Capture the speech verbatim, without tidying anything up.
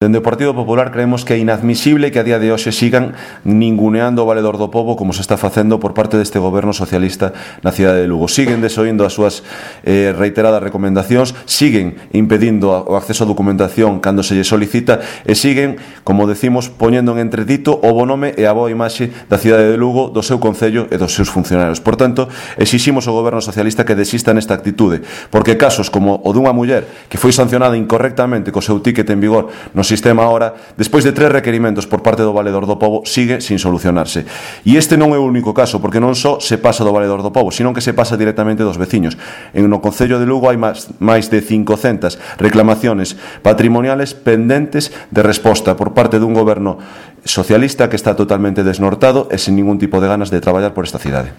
Dende o Partido Popular creemos que é inadmisible que a día de hoxe sigan ninguneando o Valedor do Pobo como se está facendo por parte deste goberno socialista na cidade de Lugo. Siguen desoindo as súas eh, reiteradas recomendacións, siguen impedindo o acceso a documentación cando se lle solicita e siguen, como decimos, poñendo en entredito o bo nome e a boa imaxe da cidade de Lugo, do seu concello e dos seus funcionarios. Por tanto, exiximos ao goberno socialista que desista nesta actitude, porque casos como o dunha muller que foi sancionada incorrectamente co seu ticket en vigor no sistema ahora, despois de tres requerimentos por parte do Valedor do Pobo, sigue sin solucionarse. E este non é o único caso, porque non só se pasa do Valedor do Pobo, sino que se pasa directamente dos veciños. En no concello de Lugo hai máis, máis de cincocentas reclamaciones patrimoniales pendentes de resposta por parte dun goberno socialista que está totalmente desnortado e sen ningún tipo de ganas de traballar por esta cidade.